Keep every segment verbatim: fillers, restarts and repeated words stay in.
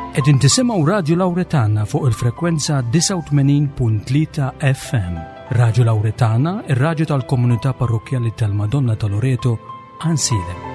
Qegħdin tisimgħu Radju Lawretana fuq il-frekwenza disgħa u tmenin punt tlieta F M. Radju Lawretana, ir-radju tal-komunità parrokkjali tal-Madonna ta' Loreto, Għajnsielem.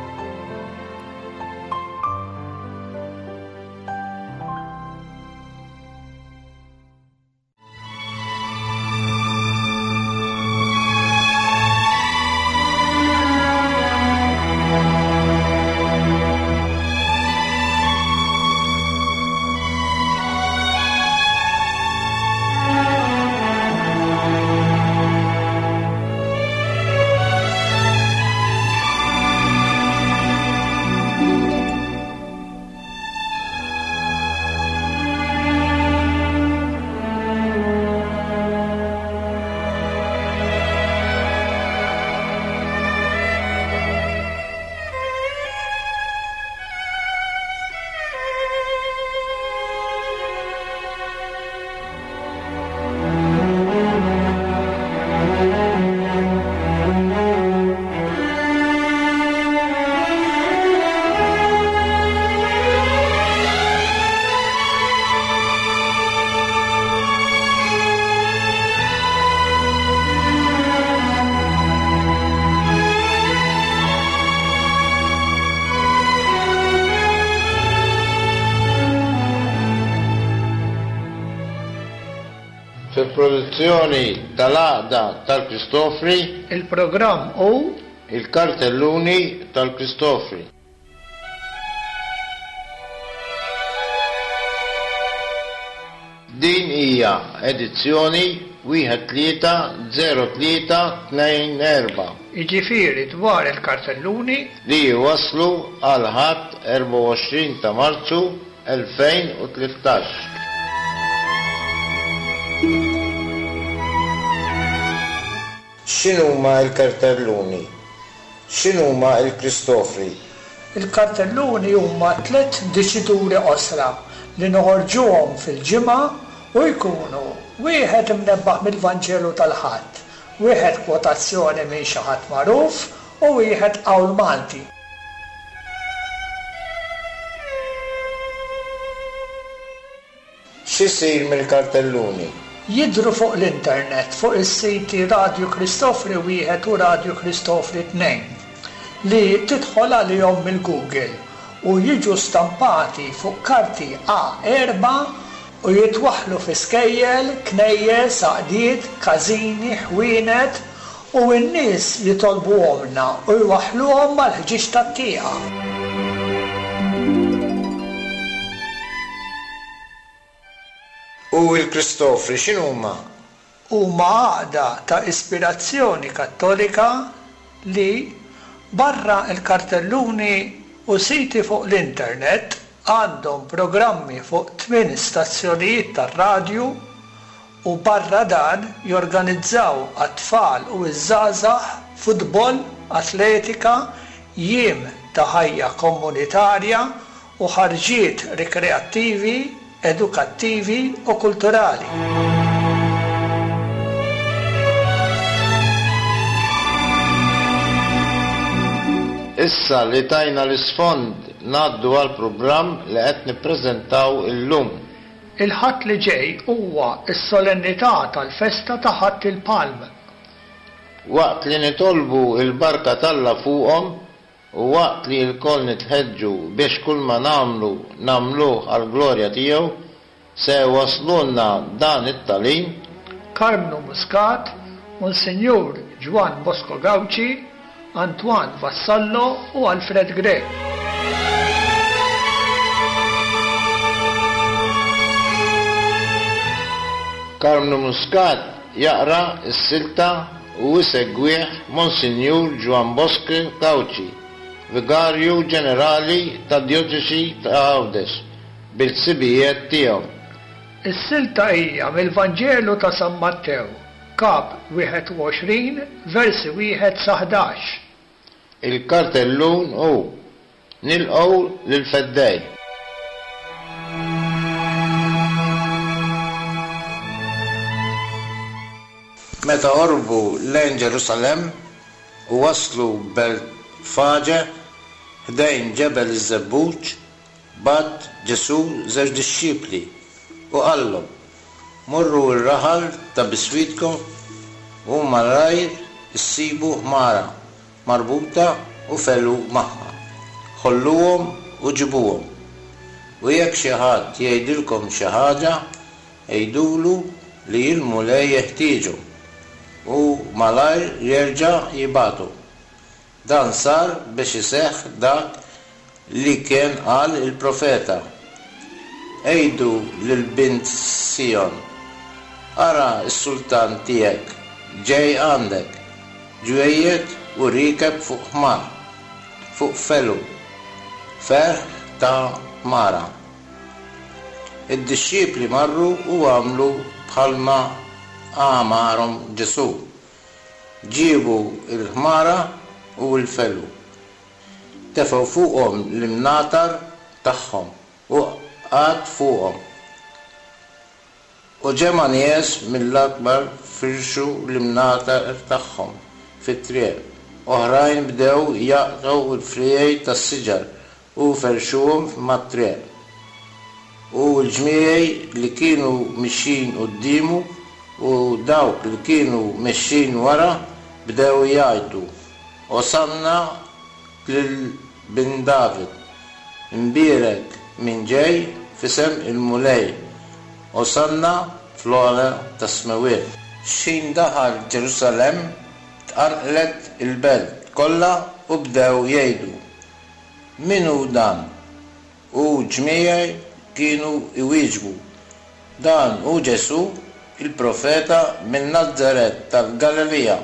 Fil-produzzjoni tal-Għaqda tal-Kristofri, il-programm hu il-kartelluni tal-Kristofri. Din hija edizzjoni wieħed tlieta zero tlieta tnejn erba'. Jiġifieri dwar il-kartelluni li jwaslu għal Ħadd erbgħa u għoxrin ta' Marzu elfejn u tlettax. X'inhuma l-kartelluni? X'inhuma l-Kristofri? Il-kartelluni huma tliet diċituri qosra li noħorġuhom fil-ġimgħa u jkunu wieħed imnebbaħ mill-Vanġelu tal-Ħadd, wieħed kwotazzjoni minn xi ħadd magħruf u wieħed qawl Malti. X'isir mill-kartelluni? Jidhru fuq l-internet fuq is-siti Radju Kristofri wieħed u Radju Kristofri tnejn li tidħol għalihom mill-Google u jiġu stampati fuq karti A erba' u jitwaħħlu fi skejjel, knejjes, għaqdiet, każini, ħwienet u n-nies jitolbuhomna u jwaħħluhom mal-ħġieġ tat-tieqa. U l-Kristofri x'inhuma? Huma għaqda ta' ispirazzjoni kattolika li barra l-kartelluni u siti fuq l-internet għandhom programmi fuq tmien stazzjonijiet tar-radju u barra dan jorganizzaw għat-tfal u ż-żgħażagħ futbol, atletika, jiem ta' ħajja komunitarja u ħarġiet rikreattivi, edukattivi u kulturali. Issa li tajna l-isfond ngħaddu għal programm li qed nippreżentaw illum. Il-Ħadd li ġej huwa s-solennità tal-festa ta' Ħadd il-Palm. Waqt li nitolbu l-barka t'Alla fuqhom u waqt li lkoll nitħeġġu biex kull ma nagħmlu nagħmluh għall-glorja tiegħu, se waslulna dan it-tagħlim Karmnu Muscat, Monsinjur Ġwann Bosco Gauci, Antoine Vassallo u Alfred Grech. Karmnu Muscat jaqra s-silta u jsegwih Monsinjur Ġwann Bosco Gauci, Vigarju Ġenerali tad-Djoċesi ta' Għawdex, bil-ħsibijiet tiegħu. Is-silta hija mill-Vanġelu ta' San Mattew, kap wieħed u għoxrin, versi wieħed sa ħdax. Il-kartellun hu Nilqgħu lil-Feddej. Meta qorbu lejn Ġerusalemm u waslu Betfaġe ħdejn ġebel iż-Żebbuġ, Bagħat Ġesù żewġ dixxipli u qallhom, Morru r-raħal ta' biswitkom u malajr issibu ħmara marbuta u felu magħha. Ħolluhom u ġibuhom. U jekk xi ħadd jgħidilkom xi ħaġa, għidulu li l-Mulej jeħtieġhom u malajr jerġa' jibgħathom. Dan sar biex iseħħ dak li kien qal il-profeta. Għidu lil bint Sijon, ara s-sultan tiegħek ġej għandek, ġwejjed u riekeb fuq ħmar, fuq felu, ferħ ta' ħmara. Id-dixxipli marru u għamlu bħalma amarhom Ġesù. Ġiebu l-ħmara u l-felu. Tefgħu fuqhom l-imnatar tagħhom u qagħad fuqhom. U ġemgħa nies mill-akbar firxu l-imnatar tagħhom fit-triq. Oħrajn bdew jaqtgħu l-friegħi tas-siġar u ferxuhom mat-triq. U l-ġmiegħi li kienu mixjin quddiemu u dawk li kienu mexjin wara bdew jgħidu, Osanna lil bin David, imbierek min ġej f'isem il-Mulej, Osanna fl-ogħla tas-smewwiet. X'ħin daħal Ġerusalemm tqanqlet il-belt kollha u bdew jgħidu, Min hu dan? U ġmiegħi kienu iwieġbu, Dan hu Ġesù, il-profeta minn Nazaret tal-Galilija.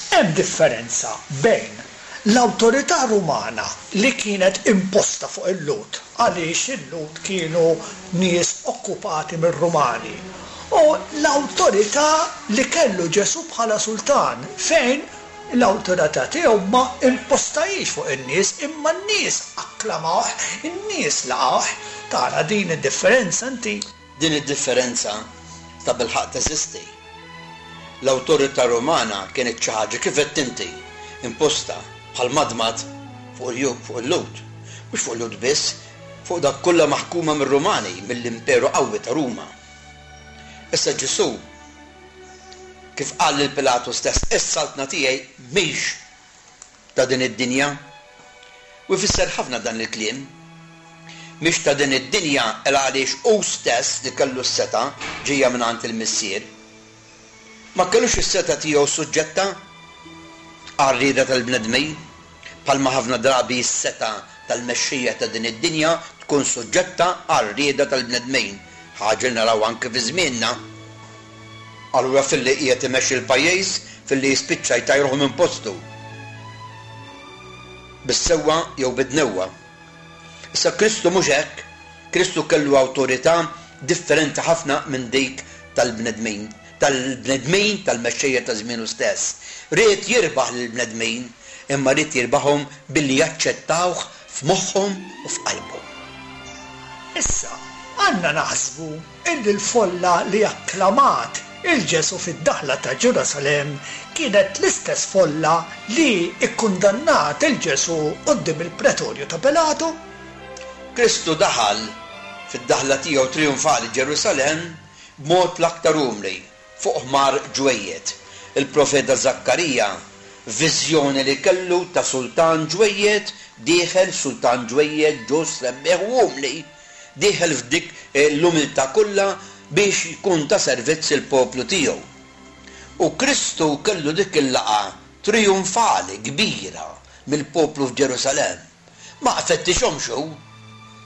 Hemm differenza bejn l-awtorità Rumana li kienet imposta fuq il-Lhud, għaliex il-Lhud kienu nies okkupati mir-Rumani, u l-awtorità li kellu Ġesù bħala sultan, fejn l-awtorità tiegħu ma impostajiex fuq in-nies, imma n-nies akklamawh, in-nies laqgħuh. Tara din id-differenza inti? Din id-differenza ta' bilħaqq teżisti. L-awtorità Rumana kienet xi ħaġa kif qed inti imposta bħal madmad fuq il-Lhud, fuq il-Lhud. Mhux fuq il-Lhud biss, fuq dak kollha maħkuma mir-Rumani, mill-Imperu qawwi ta' Ruma. Issa Ġesù kif qal lil Pilatu stess, is-saltna tiegħi mhix ta' din id-dinja. U jfisser ħafna dan il-kliem. Mhix ta' din id-dinja il għaliex hu stess li kellu s-setgħa ġejja minn għand il-Missier. Ma kellux is-setgħa tiegħu suġġetta għar-rieda tal-bnedmin, bħalma ħafna drabi s-setgħa tal-mexxejja ta' din id-dinja tkun suġġetta għar-rieda tal-bnedmin, ħaġa li naraw anke fi żmienna. Allura filli qiegħed imexxi l-pajjiż, filli jispiċċa jtajruh minn postu. Bis-sewwa jew bid-dnewwa. Issa Kristu mhux hekk, Kristu kellu awtorità differenti ħafna minn dik tal-bnedmin, tal-bnedmin tal-mexxejja ta' żmienu stess. Ried jirbaħ lill-bnedmin, imma ried jirbaħhom billi jaċċettawh f'moħħhom u f'qalbhom. Issa, għandna naħsbu illi l-folla li akklamat il-Ġesù fid-daħla ta' Ġerusalemm kienet l-istess folla li ikkundannat il-Ġesù quddiem il-pretorju ta' Pilatu. Kristu daħal fid-daħla tiegħu trionfali Ġerusalemm b'mod l-aktar umli, fuq ħmar ġwejjed. Il-profeta Zakkarija, viżjoni li kellu ta' sultan ġwejjed, dieħel sultan ġwejjed ġust, rebbieħ u umli, dieħel f'dik l-umiltà kollha biex jkun ta' servizz il-poplu tiegħu. U Kristu kellu dik il-laqgħa trionfali kbira mill-poplu f'Ġerusalemm. Ma fettixhomx hu,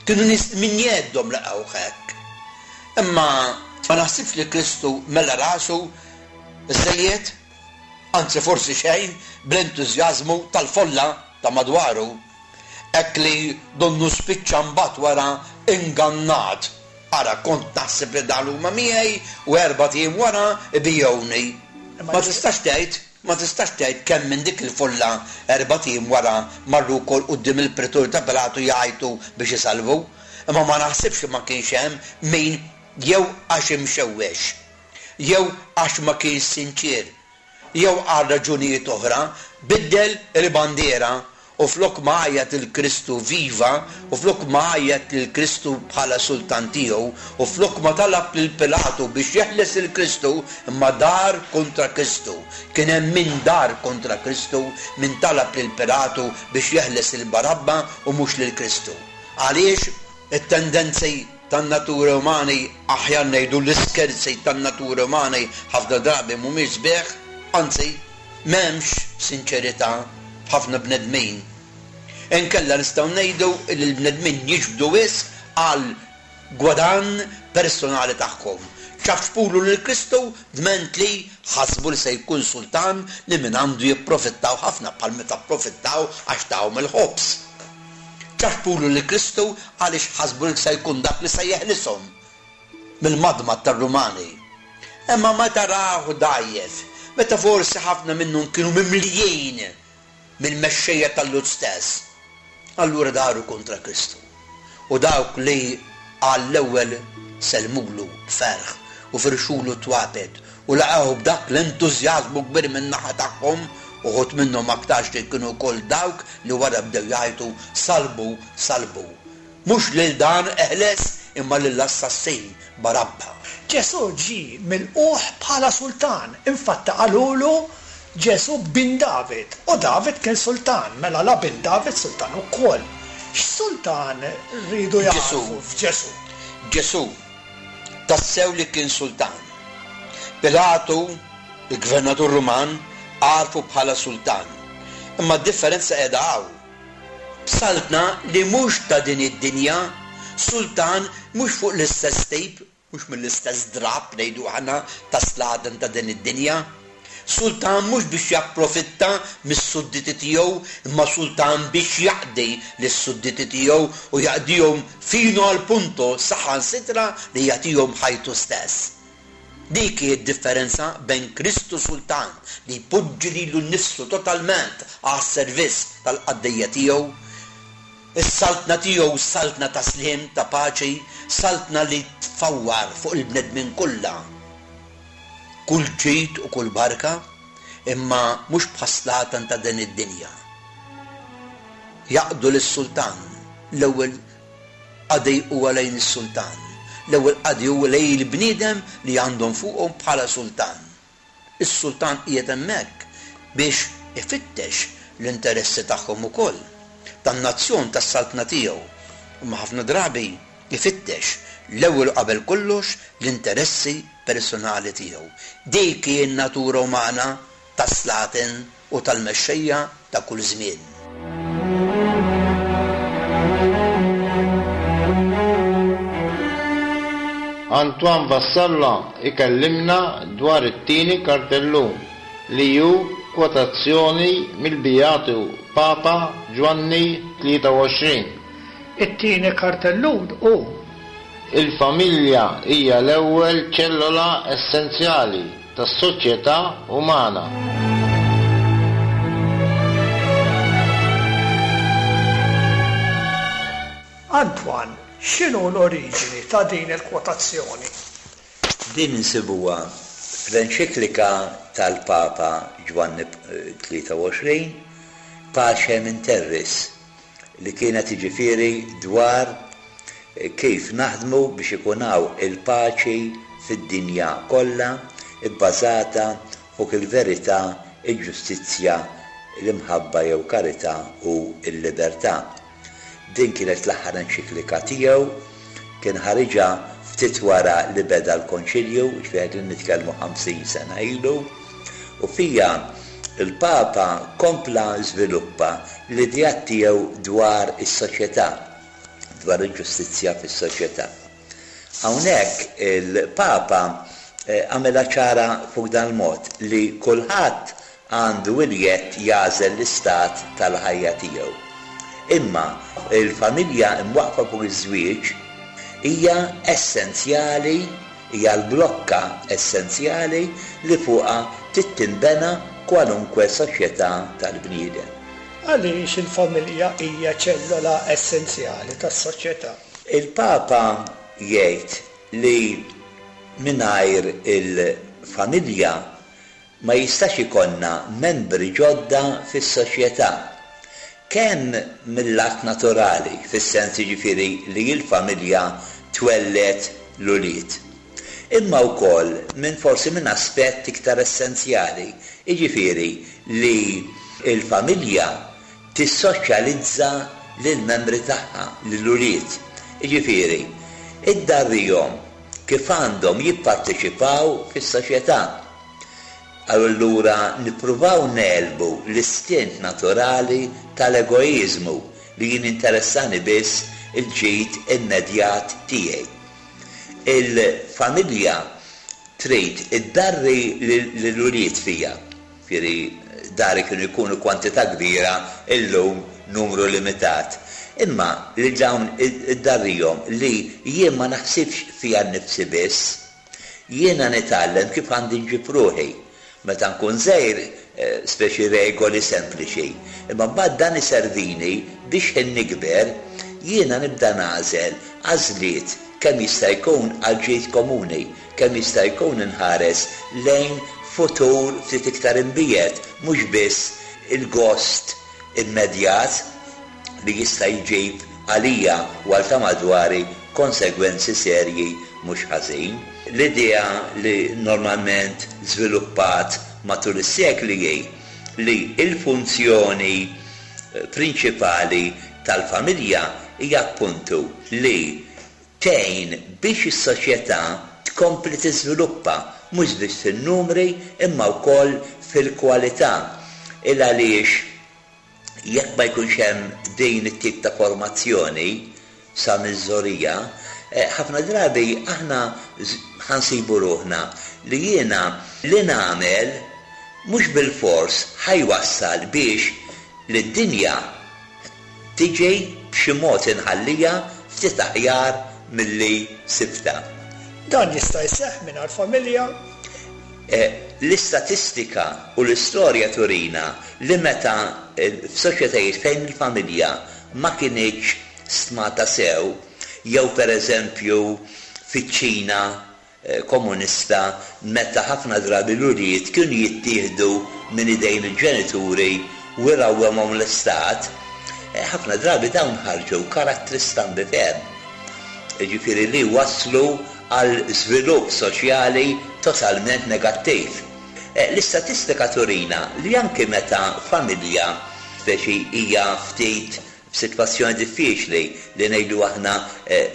kienu nies minn jeddhom laqgħu hekk. Imma ma naħsibx li Kristu mela rasu żejjed, anzi forsi xejn, bl-entużjażmu tal-folla ta' madwaru. Hekk li donnu spiċċa mbagħad wara ingannat. Ara, kont naħseb li dan huma miegħi u erbat ijiem wara ibijewni. Ma tistax tgħid, ma tistax tgħid kemm minn dik il-folla erbat ijiem wara marru wkoll quddiem il-pretur ta' Pilatu jgħajtu biex isalvu. Imma ma naħsibx li ma kienx hemm min jew għax imxewwex, jew għax ma kienx sinċier, jew għal raġunijiet oħra biddel il-bandiera U flok ma għajjat lil Kristu viva, u flok ma għajjat lil Kristu bħala sultan tiegħu, u flok ma talab lil Pilatu biex jeħles lil Kristu, imma dar kontra Kristu. Kien hemm min dar kontra Kristu, min talab lil Pilatu biex jeħles lil Barabba u mhux lil Kristu. Għaliex it-tendenzi tan-natura umani, aħjar ngħidu l-iskerzi tan-natura umani, ħafna drabi mhumiex sbieħ, anzi m'hemmx sinċerità ħafna bnedmin. Inkella nistgħu ngħidu li l-bnedmin jiġbdu wisq għal gwadann personali tagħhom. Ċafpulu lil Kristu dment li ħasbu li se jkun sultan li minn għandu jipprofittaw ħafna bħal meta pprofittaw għax tawhom il-ħobż. Ċafpulu lil Kristu għaliex ħasbu li se jkun dak li se jeħlishom mill-madmad tar-Rumani. Imma meta rahu dgħajjef, meta forsi ħafna minnhom kienu mimlijin mill-mexxejja tal-Lhud stess, allura daru kontra Kristu. U dawk li għall-ewwel sellmulu b'ferħ u firxulu twapet u laqgħu b'dak l-entużjażmu kbir min-naħa tagħhom, uħud minnhom aktarx li kienu wkoll dawk li wara bdew jgħajtu salbu, salbu. Mhux lil dan eħles imma lill-assassin Barabba. Ġesù ġie milqugħ bħala sultan, infatti qalulu Ġesù bin David, u David kien sultan, mela la bin David sultan ukoll. X'sultan rridu Ġesù. jagħrfu f'Ġesù? Ġesù tassew li kien sultan. Pilatu, il-gvernatur Ruman, għarfu bħala sultan. Imma d-differenza qiegħda hawn. Saltna li mhux ta' din id-dinja, sultan mhux fuq l-istess tip, mhux mill-istess drab ngħidu aħna ta' slaten ta' din id-dinja. Sultan mhux biex japprofitta mis-sudditi tiegħu, imma sultan biex jaqdi lis-sudditi tiegħu u jaqdihom fino al punto saħansitra li jagħtihom ħajtu stess. Dik hi d-differenza bejn Kristu sultan li jpoġġi lilu nnifsu totalment għas-servizz tal-qaddejja tiegħu, is-saltna tiegħu saltna ta' sliem, ta' paċi, saltna li tfawwar fuq il-bnedmin kollha kull ġid u kull barka, imma mhux bħas-slatan ta' din id-dinja. Jaqdu lis-sultan, l-ewwel qadi huwa lejn is-sultan, l-ewwel qadi huwa lejn il-bniedem li għandhom fuqhom bħala sultan. Is-sultan qiegħed hemmhekk biex ifittex l-interessi tagħhom ukoll, tan-nazzjon tas-saltna tiegħu, imma ħafna drabi ifittex l-ewwel qabel kollox l-interessi personali tiegħu. Dik hi n-natura umana tas-slaten u tal-mexxejja ta' kull żmien. Antoine Vassallo ikellimna dwar it-tieni kartellun li hu kwotazzjoni mill-Beatu Papa Ġwanni tlieta u għoxrin. It-tieni kartellun hu Il-familja hija l-ewwel ċellola essenzjali tas-soċjetà umana. Antoine, x'inhu l-oriġini ta' din il-kwotazzjoni? Din insibuha fl-enċiklika tal-Papa Ġwanni tlieta u għoxrin, Pacem in Terris, li kienet jiġifieri dwar kif naħdmu biex ikun hawn il-paċi fid-dinja kollha bbażata fuq il-verità, il-ġustizzja, l-imħabba jew karità u l-libertà. Din kienet l-aħħar enċiklika tiegħu, kien ħariġha ftit wara li beda l-Konċilju, ġifieri qegħdin nitkellmu ħamsin sena ilu, u fija il-Papa kompla żviluppa l-idea tiegħu dwar is-soċjetà, dwar il-ġustizzja fis-soċjetà. Hawnhekk il-Papa, eh, għamela ċara fuq dan il-mod li kulħadd għandu il-jedd jagħżel l-istat tal-ħajja tiegħu. Imma il-familja imwaqfa fuq iż-żwieġ hija essenzjali, hija l-blokka essenzjali li fuqha tittinbena kwalunkwe soċjetà tal-bniedem. Għaliex il-familja hija ċellola essenzjali tas-soċjetà? Il-Papa jgħid li mingħajr il-familja ma jistax ikollna membri ġodda fis-soċjetà. Kemm mill-att naturali, fis-sens jiġifieri li l-familja twelled l-ulied. Imma wkoll minn forsi minn aspett iktar essenzjali, jiġifieri li l-familja tissoċjalizza lill-membri tagħha, lill-ulied. Jiġifieri, iddarrihom kif għandhom jipparteċipaw fis-soċjetà. Allura nippruvaw negħlbu l-istint naturali tal-egoiżmu li jien interessani biss il-ġid immedjat tiegħi. Il-familja trid iddarri lill-ulied fija. Jiġifieri dari kienu jkunu kwantità kbira, illum numru limitat. Imma li dawn iddarrihom li jien ma naħsibx fija nnifsi biss, jiena nitgħallem kif għandi nġib ruħi. Meta nkun żgħir, speċi regoli sempliċi. Imma mbagħad dan iservini biex ħin nikber jiena nibda nagħżel għażliet kemm jista' jkun għal ġid komuni, kemm jista' jkun inħares lejn futur ftit iktar imbiegħed, mhux biss il-gost immedjat li jista' jġib għalija u għal ta' madwari konsegwenzi serji mhux ħażin. L-idea li normalment żviluppat matul is-sekli hi li l-funzjoni prinċipali tal-familja hija appuntu li tgħin biex is-soċjetà tkompli tiżviluppa mhux biss fin-numri imma wkoll fil-kwalità. Il għaliex jekk ma jkunx hemm din it-tip ta' formazzjoni sa miż-żorija, ħafna drabi aħna ħansibu ruħna li jiena li nagħmel mhux bil-fors ħajwassal biex li d-dinja tiġi b'xi mod inħallija ftit aħjar milli sibta. Dan jista' jseħħ mingħajr familja? L-istatistika u l-istorja turina li meta f'soċjetajiet fejn il-familja ma kinitx stmata sew, jew pereżempju fiċ-Ċina komunista meta ħafna drabi l-ulied kienu jittieħdu minn idejn il-ġenituri u jrawwemhom l-istat, ħafna drabi dawn ħarġu karattri stambi ferm. Jiġifieri li waslu għal żvilupp soċjali totalment negattiv. L-istatistika turina li anke meta familja speċi hija ftit f'sitwazzjoni diffiċli li ngħidu aħna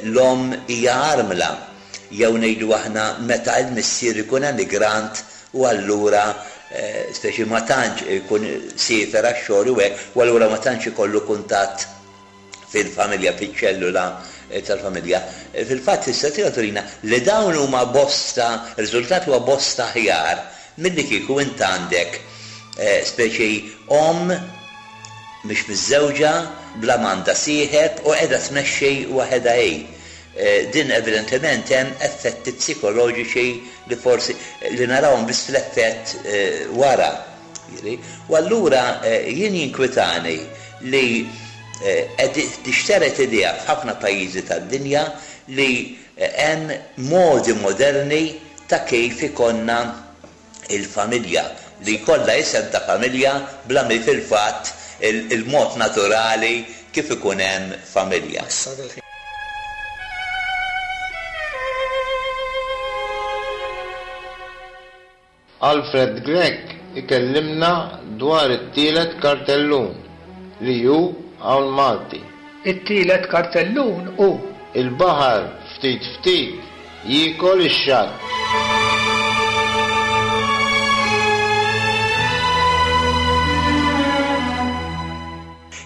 l-omm hija armla, jew ngħidu aħna meta l-missier ikun emigrant u allura speċi ma tantx ikun siefer għax-xogħol u hekk, u allura ma tantx ikollu kuntatt fil-familja, fiċ-ċellula tal-familja. Fil-fatt l-istatistika turina li dawn huma bosta, riżultat huwa bosta aħjar milli kieku int għandek speċi omm mhix miżżewġa, bla m'għandha sieħeb u qiegħda tmexxi waħedha hi. Din evidentement hemm effetti psikoloġiċi li forsi li narawhom biss fl-effett wara. U allura jien jinkwitani li qed tixteret idea f'ħafna pajjiżi tad-dinja li hemm modi moderni ta' kif ikonna il-familja, li jkollha isem ta' familja bla mi fil-fatt il-mod naturali kif ikun hemm familja. Alfred Grech ikellimna dwar it-tielet kartellun li hu hawn Malti. It-tielet kartellun hu Il-baħar ftit ftit jiekol ix-xatt.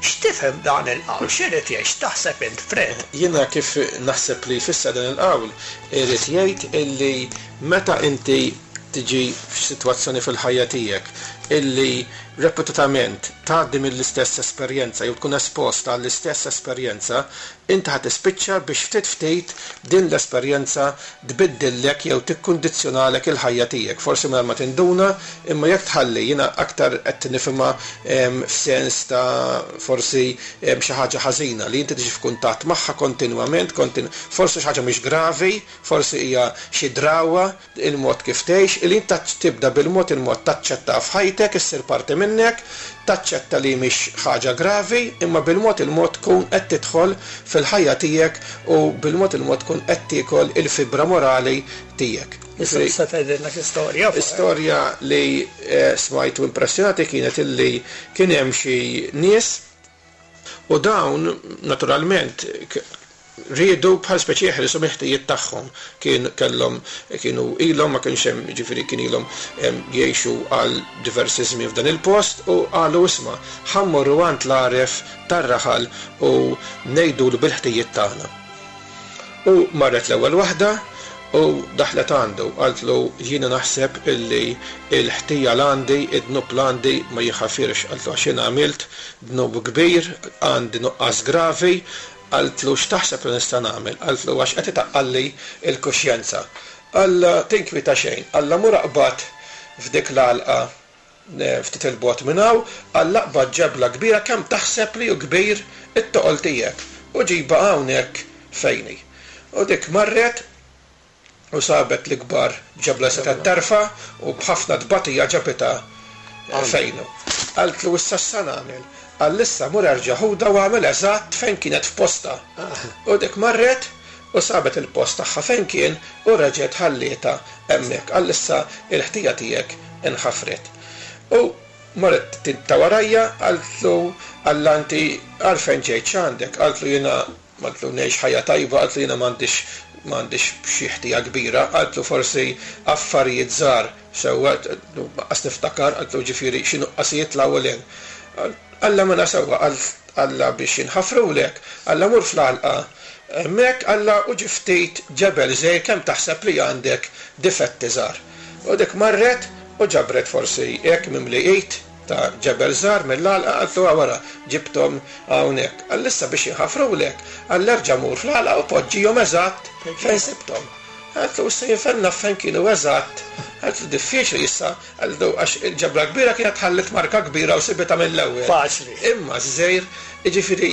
X'tifhem dan il-qawl? X'irid jgħid? X'taħseb int, Fred? Jiena kif naħseb li jfisser dan il-qawl, irid jgħid illi meta inti tiġi f'sitwazzjoni fil-ħajja tiegħek illi ripetutament tgħaddi mill-istess esperjenza jew tkun esposta għall-istess esperjenza, inti ħa tispiċċa biex ftit ftit din l-esperjenza tbiddillek jew tikkundizzjonalek il-ħajja tiegħek. Forsi mingħajr ma tinduna, imma jekk tħalli, jiena aktar qed nifhimha f'sens ta' forsi xi ħaġa ħażina li inti tiġi f'kuntatt magħha kontinwament, kontinu-, forsi xi ħaġa mhix gravi, forsi hija xi drawa, il-mod kif tgħix, li inti tibda bil-mod il-mod taċċetta f'ħajtek ħajtek, issir parti minnek, taċċetta li mhix ħaġa gravi, imma bil-mod il-mod tkun qed tidħol fil-ħajja tiegħek u bil-mod il-mod tkun qed tiekol il-fibra morali tiegħek. Issa tgħidilna xi storja. Istorja li smajt u impressjonati kienet illi kien hemm xi nies u dawn naturalment riedu bħal speċi jeħilsu mill-ħtijiet tagħhom. Kien kellhom kienu ilhom ma kienx hemm, ġifieri kien ilhom jgħixu għal diversi żmien f'dan il-post u qalu isma' ħa mmorru għand l-għaref tar-raħal u ngħidulu bil-ħtijiet tagħna. U marret l-ewwel waħda u daħlet għandu, qaltlu jiena naħseb illi l-ħtija l-għandi, id-dnub l-għandi ma jħafirx, qaltlu għax jiena għamilt dnub kbir, għandi nuqqas gravi, qaltlu x'taħseb li nista' nagħmel, qaltlu għax qed itaqqalli l-kuxjenza. Alla tinkwita xejn, alla mur aqbad f'dik l-għalqa ftit il-bogħod minn hawn, alla aqbad ġebla kbira kemm taħseb li hu kbir it-toqol tiegħek u ġiba hawnhekk fejni. U dik marret u sabet l-ikbar ġebla setgħet tarfa u b'ħafna tbatija ġabitha fejnu. Qaltlu issa x'sa nagħmel? Qal issa mur erġa' ħuda u għamel eżatt fejn kienet f'posta. U dik marret u sabet il-post tagħha fejn kien u reġgħet ħallietha hemmhekk. Qal issa l-ħtija tiegħek inħafret. U marret ta' warajja qaltlu alla inti għalfejn ġejt x'għandek? Qaltlu jiena qaltlu ngħix ħajja tajba, qaltlu jiena m'għandix m'għandix xi ħtija kbira, qaltlu forsi affarijiet żgħar sewwa qas niftakar, qaltlu ġifieri xi nuqqasijiet l-ewwel hemm. Alla mela sewwa, alla biex jinħafrulek, alla mur fl-għalqa hemmhekk, alla u ġi ftit ġebel żgħir kemm taħseb li għandek difetti żgħar. U dik marret u ġabret forsi hekk mimli id ta' ġebel żgħar mill-għalqa, qaltlu wara ġibthom hawnhekk. Qal issa biex jinħafrulek, qal erġa' mur fl-għalqa u poġġihom eżatt fejn sibthom. Qaltlu issa jinfenna fejn kienu eżatt. Qaltlu diffiċli issa, qaltlu għax il-ġebla kbira kienet ħallet marka kbira u sibitha mill-ewwel. Faċli. Imma żgħir, jiġifieri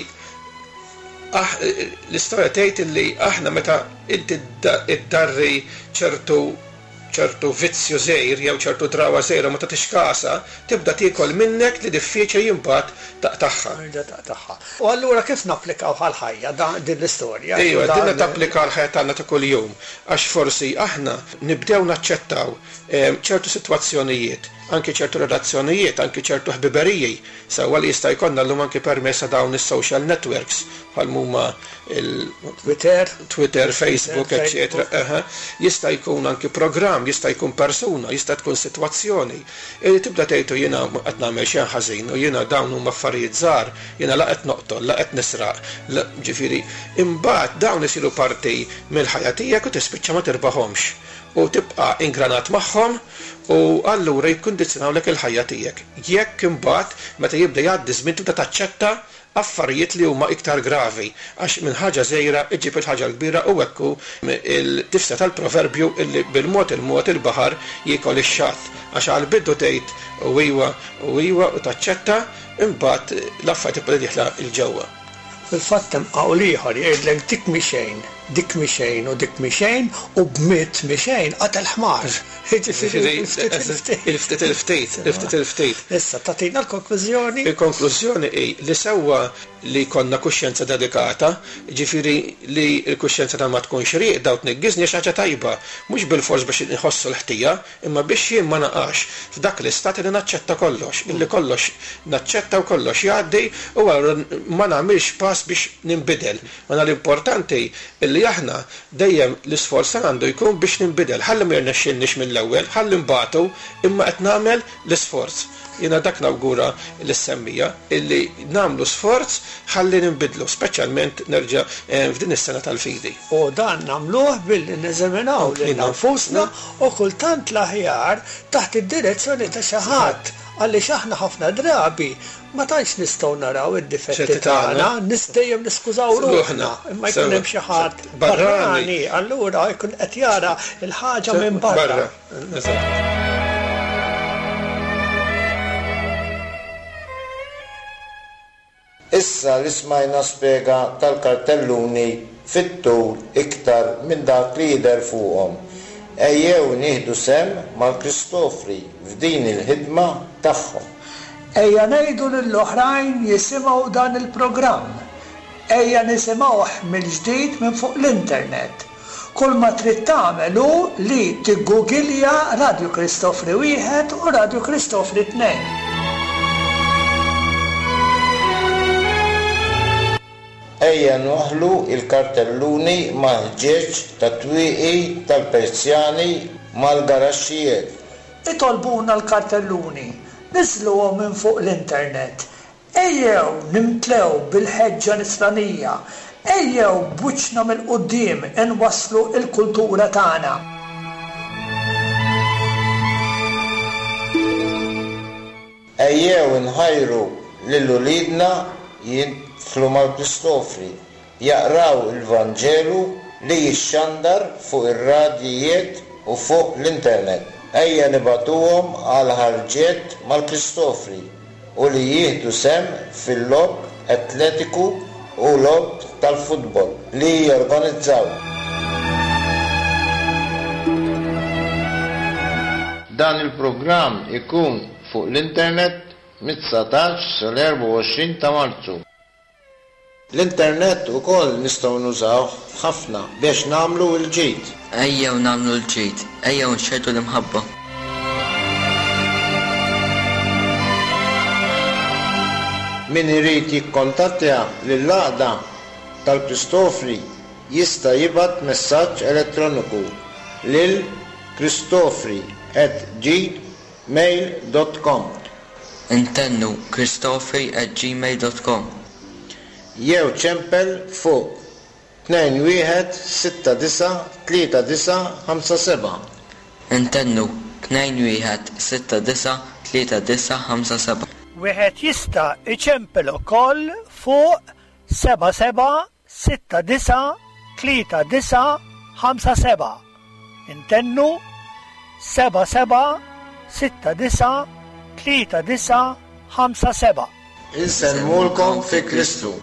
l-istorja tgħid illi aħna meta inti iddarri ċertu ċertu vizzju żgħir jew ċertu drawa żgħira ma tagħtix kasha, tibda tiekol minnek li diffiċli imbagħad taqtagħha. Taqtagħha. U allura kif napplikaw għall-ħajja din l-istorja? Ejwa, din tapplika għall-ħajja tagħna ta' kuljum, għax forsi aħna nibdew naċċettaw ċertu sitwazzjonijiet, anke ċertu relazzjonijiet, anke ċertu ħbiberiji, sewwa li jista' jkollna llum anke permezz ta' dawn is-social networks bħal huma il-Twitter, Twitter, Facebook, eċċetera. Jista' jkun anke programm, jista' jkun persuna, jista' tkun sitwazzjoni. Illi tibda tgħidu jiena qed nagħmel xejn ħażin u jiena dawn huma affarijiet żgħar, jiena la qed noqtol, la qed nisraq, ġifieri imbagħad dawn isiru parti mill-ħajja tiegħek u tispiċċa ma tirbaħhomx u tibqa' ingranat magħhom u allura jikkundizzjonawlek il-ħajja tiegħek. Jekk imbagħad meta jibda jgħaddi żmien tibda taċċetta affarijiet li huma iktar gravi, għax minn ħaġa żgħira iġib il-ħaġa l-kbira u hekk hu il-tifsa tal-proverbju illi bil-mod il-mod il-baħar jiekol ix-xatt, għax għall-bidu tgħid u iwa u iwa u taċċetta, imbagħad l-affarijiet tibda dieħla 'l ġewwa. Fil-fatt hemm qawl ieħor jgħidlek dik mhi xejn, dik mhi xejn u dik mhi xejn u b'mitt mhi xejn qatel ħmar. Jiġifieri il-ftit il-ftit. Il-ftit il-ftit, il-ftit il-ftit. Issa tagħtina l-konklużjoni. Il-konklużjoni hi li sewwa li jkollna kuxjenza dedikata, jiġifieri li l-kuxjenza ta' ma tkunx rieqda u tniggiżni xi ħaġa tajba, mhux bilfors biex inħossu l-ħtija, imma biex jien ma naqax f'dak l-istat li naċċetta kollox, illi kollox naċċetta u kollox jgħaddi u allura ma nagħmilx pass biex ninbidel. Ma l-importanti illi aħna dejjem l-isforz għandu jkun biex ninbidel, ħalli ma jirnexxilniex mill-ewwel, ħalli nbatu, imma qed nagħmel l-isforz. Jiena dak nawgura lis-semmija illi nagħmlu sforz ħalli ninbidlu, speċjalment nerġa' f'din is-sena tal-fidi. U dan nagħmluh billi neżaminaw lilna nfusna u kultant l-aħjar taħt id-direzzjoni ta' xi ħadd, għaliex aħna ħafna drabi ma tantx nistgħu naraw id-difetti tagħna, dejjem niskużaw ruħna, imma jkun hemm xi ħadd barrani, allura jkun qed jara l-ħaġa minn barra. Issa li smajna spjega tal-kartelluni fit-tul iktar minn dak li jidher fuqhom. Ejjew nieħdu sehem mal-Kristofri f'din il-ħidma tagħhom. Ejja ngħidu lill-oħrajn jisimgħu dan il-programm. Ejja nisimgħuh mill-ġdid minn fuq l-internet. Kull ma trid tagħmel hu li tiggugilja Radju Kristofri wieħed u Radju Kristofri tnejn. Ejja nwaħħlu l-kartelluni mal-ħġieġ tat-twieqi tal-Persjani mal-garaxxijiet. Itolbuna l-kartelluni, niżluhom minn fuq l-internet. Ejjew nimtlew bil-ħeġġa nisranija. Ejjew b'wiċċna mill-quddiem inwasslu l-kultura tagħna. Ejjew inħajru lil uliedna jidħlu mal-Kristofri, jaqraw il-Vanġelu li jixxandar fuq ir-radjijiet u fuq l-internet. Ejja nibagħtuhom għal ħarġiet mal-Kristofri u li jieħdu sehem fil-logħob atletiku u logħob tal-futbol li jorganizzaw. Dan il-programm ikun fuq l-internet mit-dsatax sal-erbgħa u għoxrin ta' Marzu. L-internet ukoll nistgħu nużawh ħafna biex nagħmlu l-ġid. Ejjew nagħmlu l-ġid, ejjew nxerrdu l-imħabba. Min irid jikkontattja lill-għaqda tal-Kristofri jista' jibgħat messaġġ elettroniku lil kristofri at gmail dot com. Intennu kristofri at gmail dot com. Jew ċempel fuq tnejn wieħed sitta disa' tlieta disa' ħamsa seba'. Intennu tnejn wieħed sitta disa' tlieta disa' ħamsa seba'. Wieħed jista' iċempel ukoll fuq seba' seba' sitta disa' tlieta disa' ħamsa seba'. Intennu seba' seba' sitta disa' tlieta disa' ħamsa seba'. Insellmulkom fi Kristu.